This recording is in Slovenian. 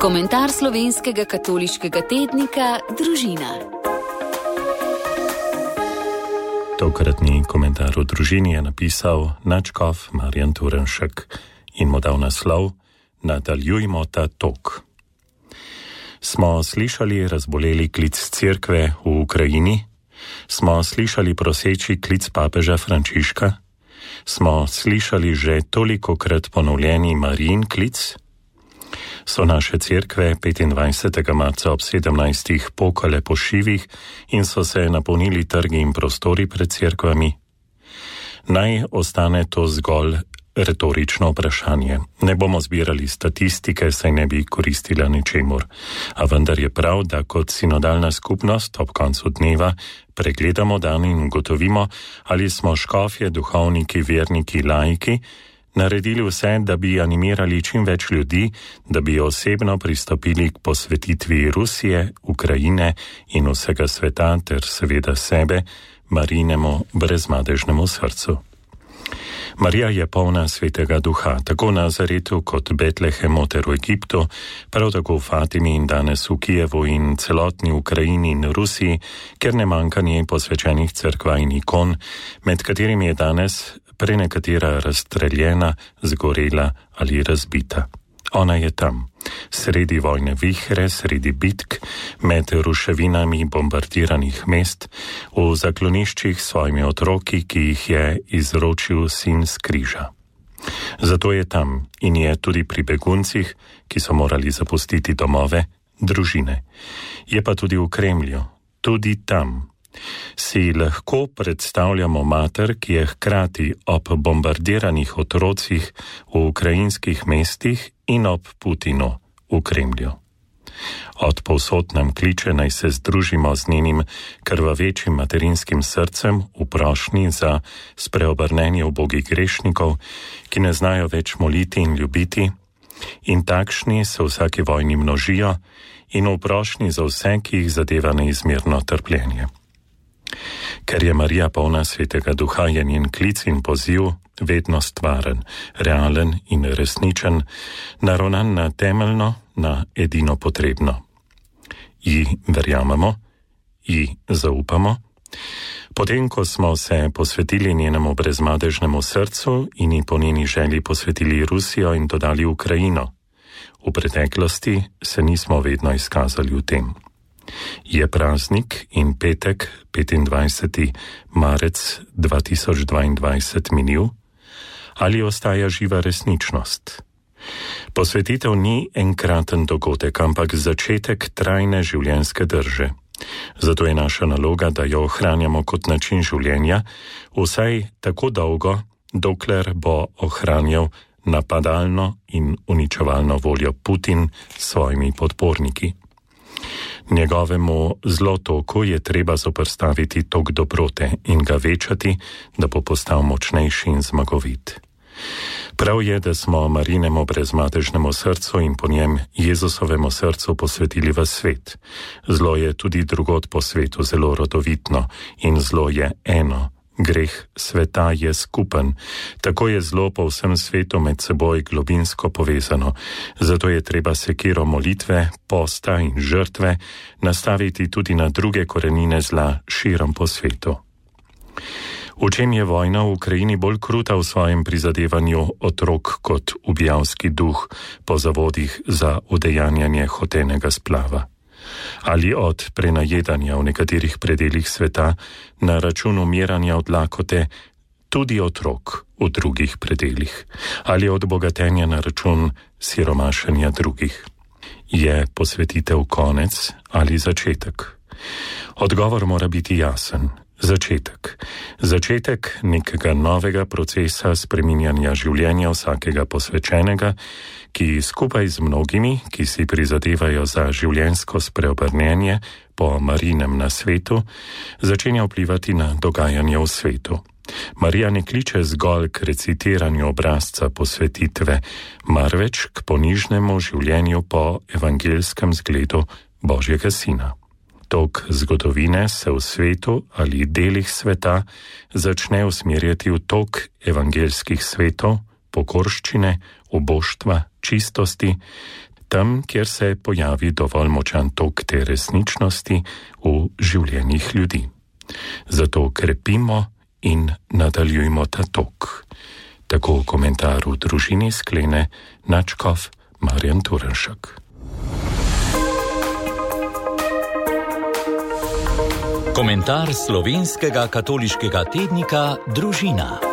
Komentar slovenskega katoliškega tednika Družina. Tokratni komentar o družini je napisal nadškof Marjan Turnšek in mu dal naslov Nadaljujmo ta tok. Smo slišali razboleli klic cerkve v Ukrajini? Smo slišali proseči klic papeža Frančiška? Smo slišali že tolikokrat ponovljeni Marijin klic? So naše cerkve 25. marca ob 17. pokale po šivih in so se napolnili trgi in prostori pred cerkvami? Naj ostane to zgolj retorično vprašanje. Ne bomo zbirali statistike, saj ne bi koristila ničemur. A vendar je prav, da kot sinodalna skupnost ob koncu dneva pregledamo dan in ugotovimo, ali smo škofje, duhovniki, verniki, laiki naredili vse, da bi animirali čim več ljudi, da bi osebno pristopili k posvetitvi Rusije, Ukrajine in vsega sveta ter seveda sebe, Marijinemu brezmadežnemu srcu. Marija je polna svetega duha, tako v Nazaretu kot Betlehemu ter v Egiptu, prav tako v Fatimi in danes v Kijevu in celotni Ukrajini in Rusiji, ker ne manjka njej posvečenih cerkva in ikon, med katerimi je danes prenekatera razstreljena, zgorela ali razbita. Ona je tam, sredi vojne vihre, sredi bitk, med ruševinami bombardiranih mest, v zakloniščih s svojimi otroki, ki jih je izročil sin s križa. Zato je tam in je tudi pri beguncih, ki so morali zapustiti domove, družine. Je pa tudi v Kremlju, tudi tam. Si lahko predstavljamo mater, ki je hkrati ob bombardiranih otrocih v ukrajinskih mestih in ob Putinu v Kremlju. Od povsod nam kliče, naj se združimo z njenim krvavečim materinskim srcem v prošnji za spreobrnenje ubogih grešnikov, ki ne znajo več moliti in ljubiti, in takšni se v vsaki vojni množijo, in v prošnji za vse, ki jih zadeva neizmerno trpljenje. Ker je Marija polna svetega duha, je njen klic in poziv vedno stvaren, realen in resničen, naravnan na temeljno, na edino potrebno. Ji verjamemo, ji zaupamo. Potem, ko smo se posvetili njenemu brezmadežnemu srcu in ji po njeni želji posvetili Rusijo in dodali Ukrajino, v preteklosti se nismo vedno izkazali v tem. Je praznik in petek, 25. marec 2022 minil, ali ostaja živa resničnost? Posvetitev ni enkraten dogodek, ampak začetek trajne življenjske drže. Zato je naša naloga, da jo ohranjamo kot način življenja, vsaj tako dolgo, dokler bo ohranjal napadalno in uničevalno voljo Putin s svojimi podporniki. Njegovemu zlotoku je treba zoperstaviti tok dobrote in ga večati, da bo postal močnejši in zmagovit. Prav je, da smo Marijinemu brezmadežnemu srcu in po njem Jezusovemu srcu posvetili v svet. Zlo je tudi drugod po svetu zelo rodovitno in zlo je eno. Greh sveta je skupen, tako je zlo po vsem svetu med seboj globinsko povezano, zato je treba sekiro molitve, posta in žrtve nastaviti tudi na druge korenine zla širom po svetu. V čem je vojna v Ukrajini bolj kruta v svojem prizadevanju otrok kot ubijalski duh po zavodih za udejanjanje hotenega splava? Ali od prenajedanja v nekaterih predelih sveta na račun umiranja od lakote tudi otrok v drugih predelih, ali od bogatenja na račun siromašenja drugih? Je posvetitev konec ali začetek? Odgovor mora biti jasen. Začetek. Začetek nekega novega procesa spreminjanja življenja vsakega posvečenega, ki skupaj z mnogimi, ki si prizadevajo za življenjsko spreobrnenje po Marijinem nasvetu, začenja vplivati na dogajanje v svetu. Marija ne kliče zgolj k recitiranju obrazca posvetitve, marveč k ponižnemu življenju po evangeljskem zgledu Božjega Sina. Tok zgodovine se v svetu ali delih sveta začne usmerjati v tok evangeljskih svetov, pokorščine, uboštva, čistosti tam, kjer se pojavi dovolj močan tok te resničnosti v življenjih ljudi. Zato krepimo in nadaljujmo ta tok. Tako komentar v družini sklene nadškof Marjan Turnšek. Komentar slovenskega katoliškega tednika Družina.